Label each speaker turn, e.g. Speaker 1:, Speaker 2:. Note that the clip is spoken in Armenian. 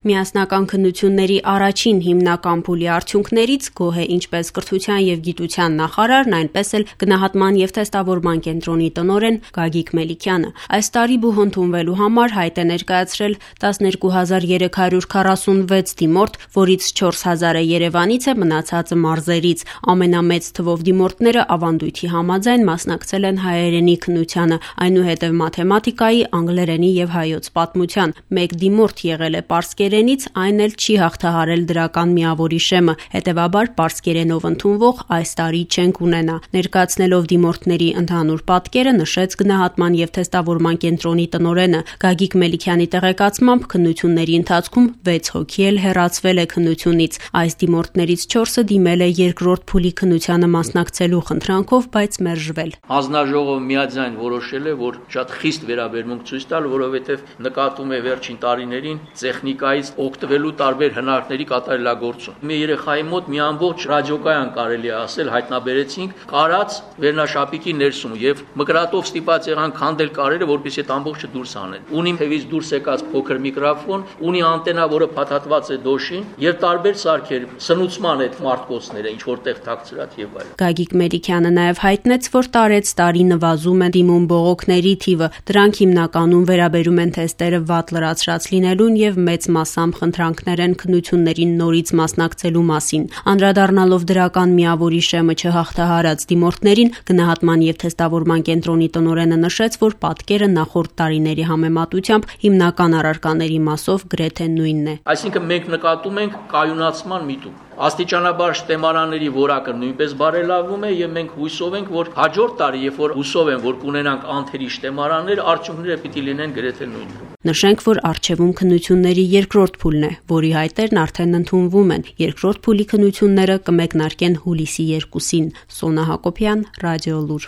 Speaker 1: Միասնական քննությունների առաջին հիմնական փուլի արդյունքներից գոհ է ինչպես կրթության եւ գիտության նախարարն, այնպես էլ գնահատման եւ թեստավորման կենտրոնի տնօրեն Գագիկ Մելիքյանը։ Այս տարի բուհ ընդունվելու համար հայտ է ներկայացրել 12346 դիմորդ, որից 4000-ը Երևանից է, մնացածը մարզերից։ Ամենամեծ թվով դիմորդները ավանդույթի համաձայն մասնակցել են հայերենի քննությանը, այնուհետև մաթեմատիկայի, անգլերենի եւ հայոց պատմության։ Մեկ դիմորդ եղել է պարսկերենից, այն էլ չի հաղթահարել դրական միավորի շեմը, հետևաբար պարսկերենով ընդունվող այս տարի չենք ունենա։ Ներկայացնելով դիմորդների ընդհանուր պատկերը նշեց գնահատման եւ թեստավորման կենտրոնի տնօրենը։ Գագիկ Մելիքյանի տեղեկացմամբ քննությունների ընթացքում 6 հոգի էլ հեռացվել է քննությունից։ Այս դիմորդներից 4-ը դիմել է երկրորդ փուլի քննությանը մասնակցելու խնդրանքով, բայց մերժվել։
Speaker 2: Հանձնաժողովը միաձայն որոշել է, որ շատ խիստ վերաբերմունք ցույց տալ, որովհետեւ նկատում է վերջին տարիներին տեխնիկայից օգտվելու տարբեր հնարքների կատարելագործում։ Մի երեխայի մոտ մի ամբողջ ռադիոկայան կարելի է ասել հայտնաբերեցինք կարած վերնաշապիկի ներսում եւ մկրատով ստիպած եղան քանդել կարերը, որպեսզի այդ ամբողջը դուրս անեն։ Ունի թևից դուրս եկած փոքր միկրոֆոն, ունի անտենա, որը փաթաթված է դոշին, եւ տարբեր սարքեր, սնուցման այդ մարտկոցները, ինչ որտեղ թաքցրած եւ այլն։
Speaker 1: Գագիկ Մելիքյանը նաեւ հայտնեց, որ տարեց տարի նվազում է դիմում բողոքների թիվը։ Դրանք հիմնականում վերաբերում են թեստերը վատ լրացրած լինելուն եւ մեծ մասամբ խնդրանքներ են քննություններին նորից մասնակցելու մասին։ Անդրադառնալով դրական միավորի շեմը չհաղթահարած դիմորդներին, գնահատման եւ թեստավորման կենտրոնի տնօրենը նշեց, որ պատկերը նախորդ տարիների համեմատությամբ հիմնական առարկաների մասով գրեթե նույնն է։
Speaker 2: Այսինքն մենք նկատում ենք կայունացման միտում։ Աստիճանաբար շտեմարանների որակը նույնպես բարելավում է եւ մենք հույսով ենք, որ հաջորդ տարի, երբ որ հուսով են, որ կունենանք անթերի շտեմարաններ, արդյունքները պիտի լինեն գրեթե նույնը։
Speaker 1: Նշենք, որ առջևում քննությունների երկրորդ փուլն է, որի հայտերն արդեն ընդունվում են։ Երկրորդ փուլի քննությունները կմեկնարկեն հուլիսի 2-ին։ Սոնա Հակոբյան, Ռադիոլուր։